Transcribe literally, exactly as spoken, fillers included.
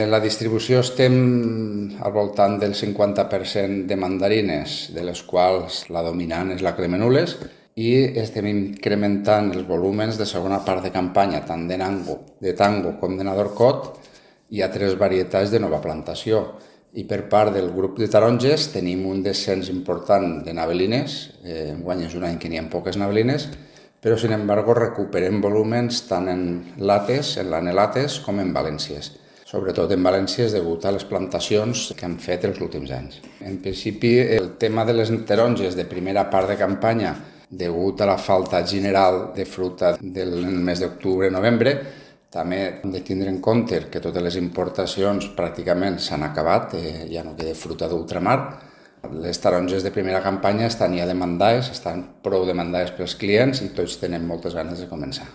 La distribució estem al voltant del cinquanta per cent de mandarines, de les quals la dominant és la Cremenules, i estem incrementant els volúmens de segona part de campanya, tant de Nango, de Tango com de Nadorcot, i altres varietats de nova plantació. I per part del grup de taronges tenim un descens important de navelines, eh, enguany és un any que n'hi ha poques navelines, però sin embargo recuperem volúmens tant en lates, en l'anelates, com en valències. Sobretot en València és degut a les plantacions que han fet els últims anys. En principi, el tema de les taronges de primera part de campanya, degut a la falta general de fruita del mes d'octubre i novembre, també hem de tindre en compte que totes les importacions pràcticament s'han acabat, eh, ja no queda fruita d'ultramar. Les taronges de primera campanya estan ja demandades, estan prou demandades pels clients i tots tenen moltes ganes de començar.